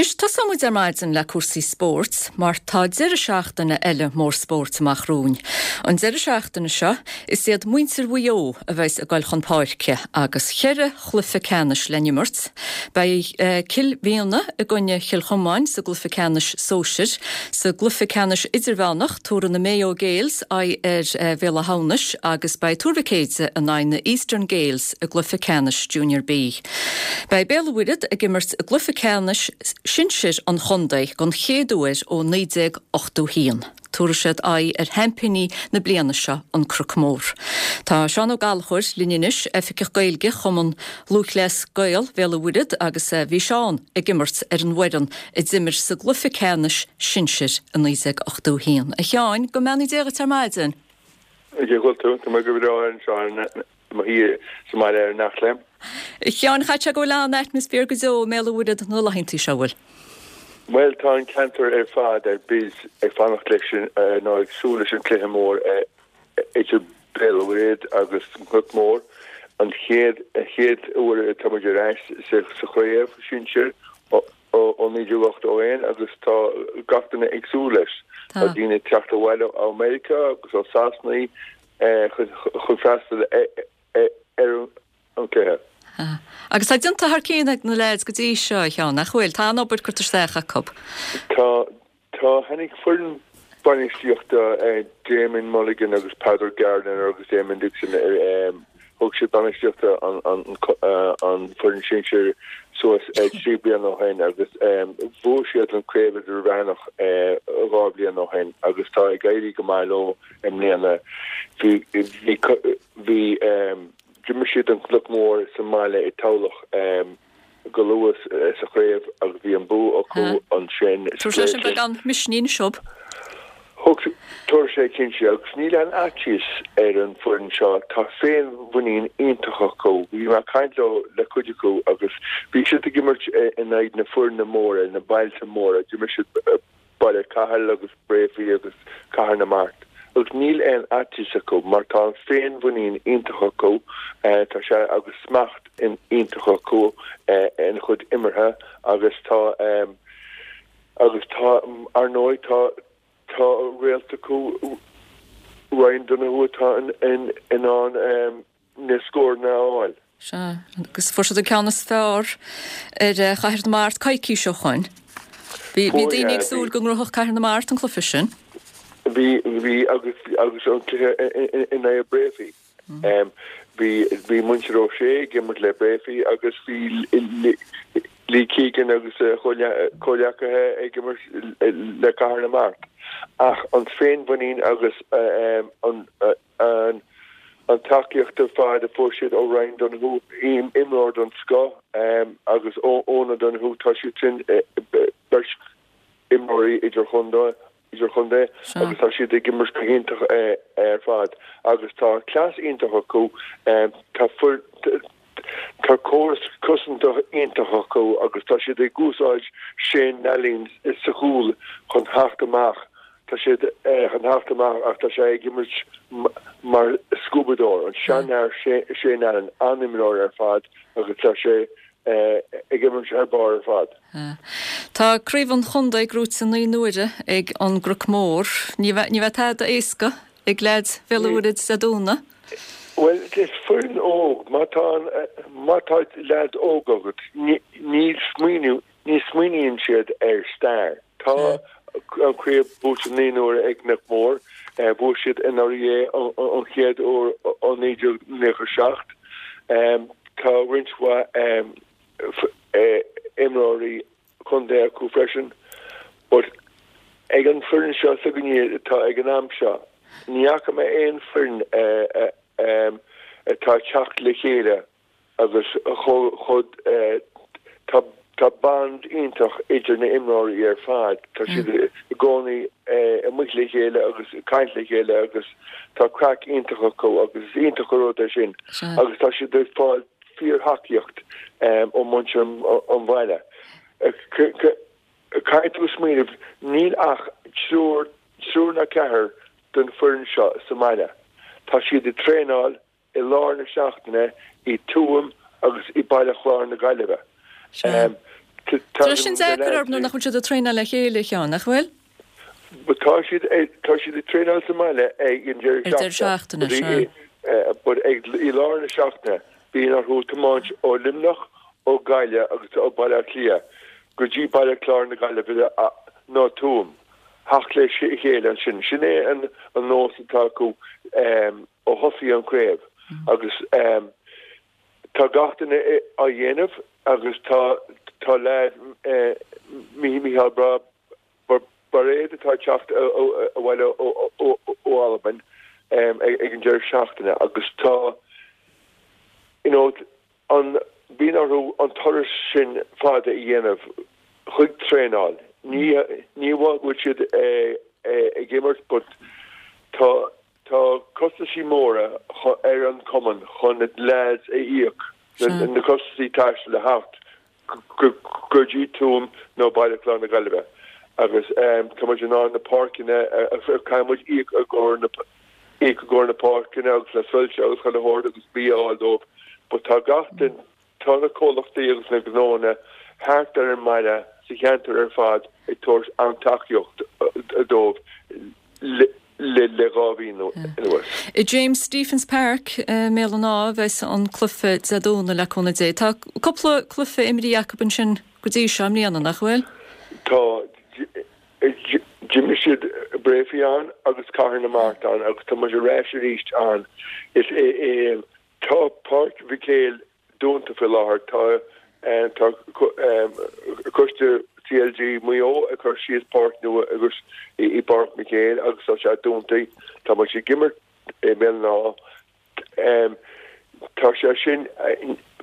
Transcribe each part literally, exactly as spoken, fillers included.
Anois tosóidh muid ar maidin le cúrsaí spóirt, mar tá deireadh seachtaine eile mór spóirt amach romhainn. An deireadh seachtaine seo, is iad muintir Mhaigh Eo a bheas ag dul chun páirce agus ceithre chluiche ceannais le n-imirt. Beidh eh, Cill Mhíona i gcoinne Chill Chomáin sa gcluiche ceannais sóisir, sa gcluiche ceannais idirmheánach tabharfaidh na Mayo Gaels aghaidh ar eh, Bhéal Átha hAmhnais agus beidh Tuar Mhic Éide in aghaidh na Eastern Gaels i gcluiche ceannais Junior B. Beidh Béal an Mhuirthead ag imirt i gcluiche ceannais sinsir an chontae den chéad uair ó naoi déag ochtó haon. Tabharfaidh siad aghaidh ar sheaimpíní na bliana seo an Cnoc Mór. Tá Seán Ó Gallchóir linn anois Oifigeach Gaeilge Chumann Lúthchleas Gael Bhéal an Mhuirthead agus eh, bhí Seán ag imirt ar an bhfoireann a d'imir sa gcluiche ceannais sinsir i naoi déag ochtó haon. A Sheáin go mbeannaí Dia duit ar maidin. Cén chaoi a bhfuil tú Tá go breá anseo mo shuí sa mbaile ar nach lem. Sheáin chaithfidh go bhfuil an-atmaisféar go deo i mBéal an Mhuirthead na laethanta seo bhfuil. Well tá an ceantar ar fad ar bís ag fanacht leis sin nó ag súil leis an cluiche mór idir Béal an Mhuirthead agus Cnoc Mór an chéad chéad uair atá muid ar ais sa chraobh sinsir ó naoi déag ochtó aon agus tá gach duine ag súil leis. Tá daoine teacht abhaile ó America agus ó Sasana chun freastal ar an cluiche. Agus tá déanta thar cionn ag na lads go dtí seo chean nach bhfuil tá an obair curtha isteach acu. Tá tá tháinig foireann bainistíochta Damon Mulligan agus Peadar Gardner agus Damon Dixon thug siad bainistíochta an an foireann sinsir suas trí bliana ó shin agus bhuaigh siad an craobh idirmheánach dhá bhliain ó shin agus tá ag éirí go maith leo i mbliana bhí bhí d'imir siad an Cnoc Mór sa mbaile i Tamhlacht go luath sa chraobh agus bhí an bua acu ansin Tabharfaidh sé sin beagán misnigh dóibh. Thug tabharfaidh sé cinnte agus níl aon fhaitíos ar an foireann seo tá féinmhuinín iontach acu bhí mé ag caint leo le cuid acu agus bhí siad ag imirt in aghaidh na foirne móra na bailte móra d'imir siad Baile Cathail agus Breaffy agus Cathair na Mart. Agus níl aon fhaitíos acu mar tá an féinmhuinín iontach acu tá sé agus smacht iontach acu ina chuid imeartha agus tá agus tá ar ndóigh tá tá réalt acu Ryan Donoghue atá in in ann na scóranna a fháil. Sea, agus fuair siad an ceann is fearr ar Chathair na Mart coicís ó shin. Bhí bhí daoine ag súil go ngnóthódh Cathair na Mart an cluiche sin. Bhí bhí agus agus an cluiche in aghaidh Breaffy. Bhí bhí muintir O'Shea ag imirt le Breaffy agus bhí Lee Keegan agus comhghleacaithe ag imirt le Cathair na Mart. Ach an féinmhuinín agus an an an tacaíocht ar fad a fuair siad ó Ryan Donoghue imreoir den scoth agus Óna Donoghue tá siad sin beirt imreoirí idir chontae idir chontae agus tá siad ag imirt go hiontach ar fad agus tá cleas iontach acu tá tá córas cosanta iontach acu agus tá siad ag úsáid Shane Nalline sa chúl chun theacht amach tá siad chun theacht amach ach tá sé ag imirt mar scuabadóir an seanfhear Shane Allen an-imreoir ar fad agus tá sé ag imirt ar barr ar fad. Tá craobh an chontae gnóthaithe naoi n-uaire ag an gCnoc Mór, ní bheidh tada éasca ag leaids Bhéal an Mhuirthead Dé Domhnaigh? Well is foireann óg má tá má tá leaid óg agat ní smaoineamh ní smaoiníonn siad ar stair. Tá an craobh buaite naoi n-uaire ag Cnoc Mór, bhuaigh siad anuraidh an chéad uair ó naoi déag nócha seacht. Tá roinnt mhaith imreoirí contae acu freisin, but ag an foireann seo s'againne atá ag an am seo, ní fhaca mé aon foireann atá ag teacht le chéile agus chomh tá tá bond iontach idir na imreoirí ar fad. Tá siad i gcónaí amuigh le chéile agus ag caint le chéile agus tá craic iontach acu agus is iontach an rud é sin. Agus tá siad ag fáil fíorthacaíocht ó mhuintir an bhaile. Caithfidh tú smaoineamh, níl ach triúr, triúr nó ceathrar den foireann seo sa mbaile. Tá siad ag traenáil i lár na seachtaine i Tuaim agus i Baile Chláir na Gaillimhe. Tá sin deacair orthu nuair nach bhfuil siad ag traenáil le chéile, a Sheáin, nach bhfuil? But tá siad tá siad ag traenáil sa mbaile ag an deireadh seachtaine. But ag i lár na seachtaine bíonn orthu tiomáint ó Luimneach, ó Gaillimh agus ó Baile Átha Cliath go dtí Baile Chláir na Gaillimhe nó Tuaim theacht le chéile ansin. Sin é an an nós atá acu ó thosaigh an chraobh agus tá gach duine á dhéanamh agus tá tá leaid Micheál Bairéad atá ag teacht abhaile ó Albain ag an deireadh seachtaine agus tá you know an bíonn orthu an turas sin fada a dhéanamh chuig traenáil. Ní ní amháin go bhfuil siad ag imirt but tá tá costaisí móra ar an cumann chun na lads a íoc na costaisí taistil le theacht go dtí Tuaim nó Baile Chláir na Gaillimhe agus tá muid in ann na páirceanna caithfidh muid íoc i gcomhair na íoc i gcomhair na páirceanna agus le soilse agus chuile shórt agus bia a fháil dóibh but tá gach duine tá na comhlachtaí agus na gnónna thart ar an mbaile sa cheantar ar fad ag tabhairt an-tacaíocht dóibh le le dhá mhí anuas. I James Stephens Park i mBéal an Átha a bheas an cluiche Dé Domhnaigh le cúnamh Dé. Tá cúpla cluiche imrithe acu ansin go dtí seo i mbliana, nach bhfuil? Tá. D'imir siad Breaffy ann agus Cathair na Mart ann agus tá muid ar ais arís ann. Is é tá Páirc Mhic Éil dúnta faoi láthair. Tá tá coiste CLG Mhaigh Eo ag cur síos páirc nua agus i bPáirc Mhic Éil agus tá sé dúnta. Tá muid ag imirt i mBéal an Átha. Tá sé sin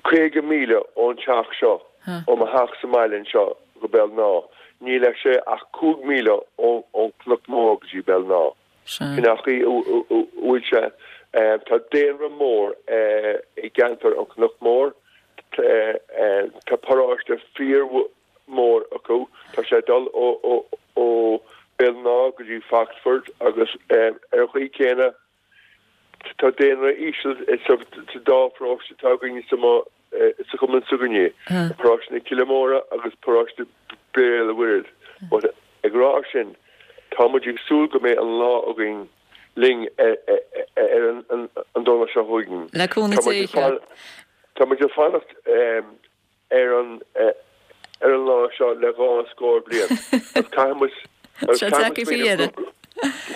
caoga míle ón teach seo, ó mo theach sa mbaile anseo go Béal an Átha. Níl sé ach cúig míle ón Chnoc Mór go dtí Béal an Átha. Sin an chaoi a bhfuil sé. Tá daonra mór i gceantar an Chnoc Mór. Tá paróiste fíormhór acu. Tá sé ag dul ó Béal an Átha go dtí Foxford agus ar an chaoi chéanna tá daonra íseal sa dá pharóiste atá againn sa sa chumann s'againne, paróiste na Cille Móire agus paróiste Béal an Mhuirthead. But ag rá sin, tá muid ag súil go mbeidh an lá againn linn ar an Domhnach seo chugainn. Le cúnamh Dé. Tá muid ag fanacht ar an ar an lá seo le dhá scór bliain. Agus caithfidh muid agus caithfidh muid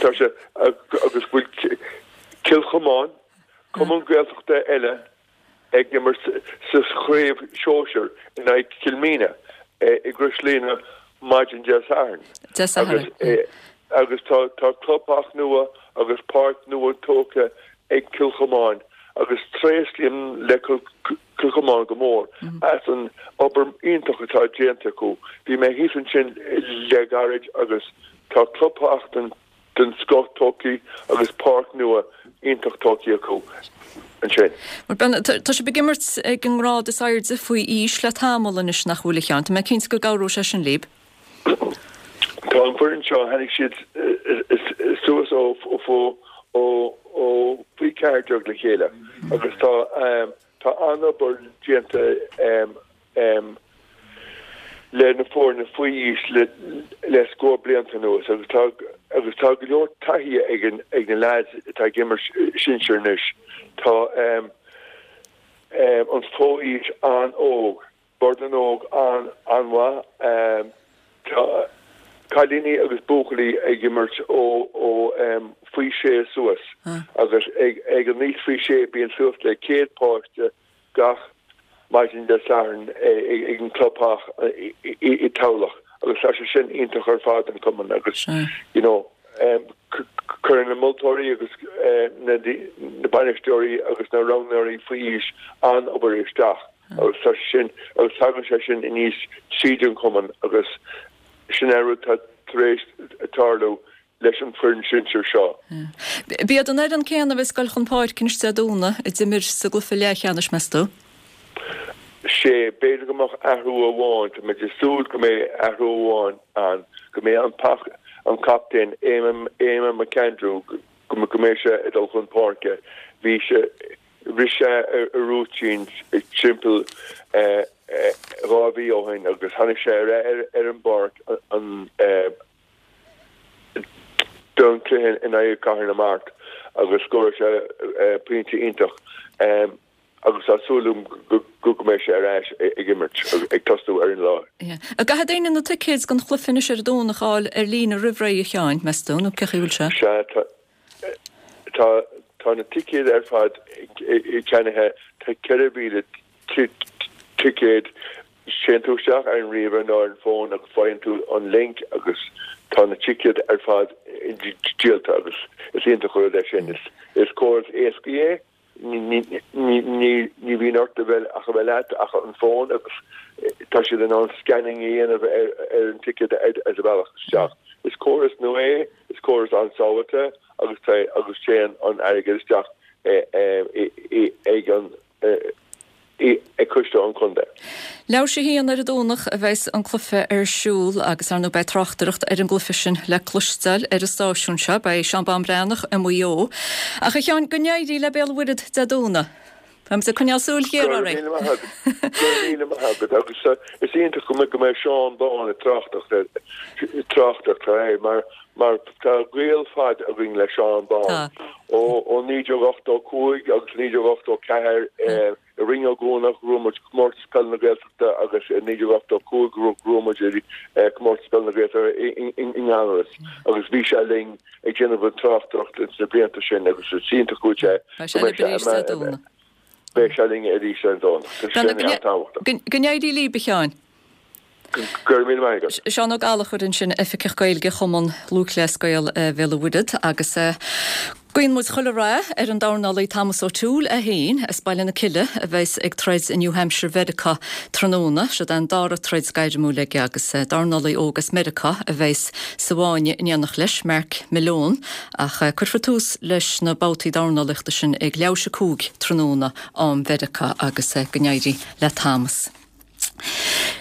Tá sé agus bhfuil Cill Chomáin, cumann Gaeltachta eile ag imirt sa chraobh shóisir in aghaidh Chill Mhíne i gCrois Lianna maidin Dé Sathairn. Dé Sathairn. Agus tá tá clubtheach nua agus páirc nua tógtha ag Cill Chomáin agus tréaslaím le Cill Chomáin go mór as an obair iontach atá déanta acu. Bhí mé thíos ansin le gairid agus tá clubtheach den den scoth tógtha agus páirc nua iontach tógtha acu ansin. Bhuel, tá sibh ag imirt ag an ngrád is airde faoi aois le tamall anois nach bhfuil a Sheáin? Tá mé cinnte go gcabhróidh sé sin libh. Tá an foireann seo, tháinig siad suas ó ó ó faoi ceathair déag le chéile agus tá tá an-obair déanta le na foirne faoi aois le le scór blianta anuas agus tá agus tá go leor taithí ag an ag na lads atá ag imirt sinsir anois. Tá um, um, an fho-aois an-óg, Bord na nÓg an an-mhaith, um, tá cailíní agus buachaillí ag imirt ó ó um, faoi sé suas agus ag ag an aois faoi sé bíonn suas le céad páiste gach maidin Dé Sathairn ag an gclubtheach i dTamhlacht agus tá sé sin iontach ar fad don chumann agus you know cuireann na moltóirí agus na bainisteoirí agus na roghnóirí faoi aois an-obair isteach agus tá sé sin agus tagann sé sin aníos tríd an chumann agus sin é rud atá tar éis tarlú leis an bhfoireann sinsir seo. B'iad an fhoireann céanna a bheas ag goil chun páirce anois Dé Domhnaigh a d'imir sa gcluiche leathcheannais, meas tú? Sé, b'fhéidir go mbeadh athrú amháin, tá muid ag súil go mbeidh athrú amháin ann, go mbeidh an an captaen Éamonn McAndrew, go mbeidh sé ag dul chun páirce. Bhí sé, rith sé a rúitín timpeall dhá mhí ó shin agus tháinig sé ar ar an bpáirc an don cluiche in aghaidh Cathair na Mart agus scóráil sé pointe iontach agus tá súil agam go mbeidh sé ar ais ag imirt, ag tosú ar an lá. An gcaithfidh daoine na ticéid don chluiche anois ar an Domhnach a fháil ar líne roimh ré, a Sheáin, meas tú, nó cén chaoi a bhfuil sé? Sea, tá tá na ticéid ar fad ceannaithe, tá ceithre mhíle ticéad. Téann tú isteach ar an ríomhaire nó ar an bhfón agus faigheann tú an link agus tá na ticéid ar fad díolta agus is iontach an rud é sin. Is córas éasca é, ní bhíonn ort a bheith ach a bheith leat ach an fón agus tá siad in ann scanning a dhéanamh ar an ticéad ar do bhealach isteach. Is córas nua é, is córas an-sábháilte agus agus téann an airgead isteach ag an ag coiste an chontae. Leathuair tar éis a haon ar an Domhnach a bheas an cluiche ar siúl agus ar ndóigh beidh tráchtaireacht ar an gcluiche sin le cloisteáil ar an stáisiún seo. Beidh Seán Bán Breathnach i Maigh Eo. Ach a Sheáin, go n-éirí le Béal an Mhuirthead Dé Domhnaigh. Beimid ag coinneáil súil ghéar Go raibh oraibh. míle maith agat. Go raibh míle maith agat agus is iontach go mbeidh go mbeidh Seán Bán ag tráchtaireacht ar tráchtaireacht air mar mar tá gaol fada againn le Seán Bán. Tá. Ó ó naoi déag ochtó cúig agus naoi déag ochtó ceathair i Rinn Ó gCuanach bhuaigh muid Comórtas Peile na Gaeltachta agus i naoi déag ochtó cúig bhuaigh muid Comórtas Peile na Gaeltachta i nGallaras agus bhí sé linn ag déanamh an tráchtaireacht ins na blianta sin agus is iontach go bhfuil sé Beidh sé linn arís Dé Domhnaigh. Beidh sé linn arís ar an Domhnach. Tá sé an-tábhachtach. Go n-éirí libh, a Sheáin. Go raibh míle maith agat. Seán Ó Gallchóir ansin, Oifigeach Gaeilge Chumann Lúthchleas Gael Bhéal an Mhuirthead agus guíonn muid chuile rath ar an dornálaí Thomas O'Toole é féin as Baile na Cille a bheas ag troid i New Hampshire Mheiriceá tráthnóna. Siod an dara troid gairmiúil aige agus dornálaí óg as Meiriceá a bheas sa bhfáinne in éineacht leis, Mark Malone, ach cuirfear tús leis na babhtaí dornálaíochta sin ag leathuair tar éis a cúig tráthnóna am Mheiriceá agus go n-éirí le Thomas.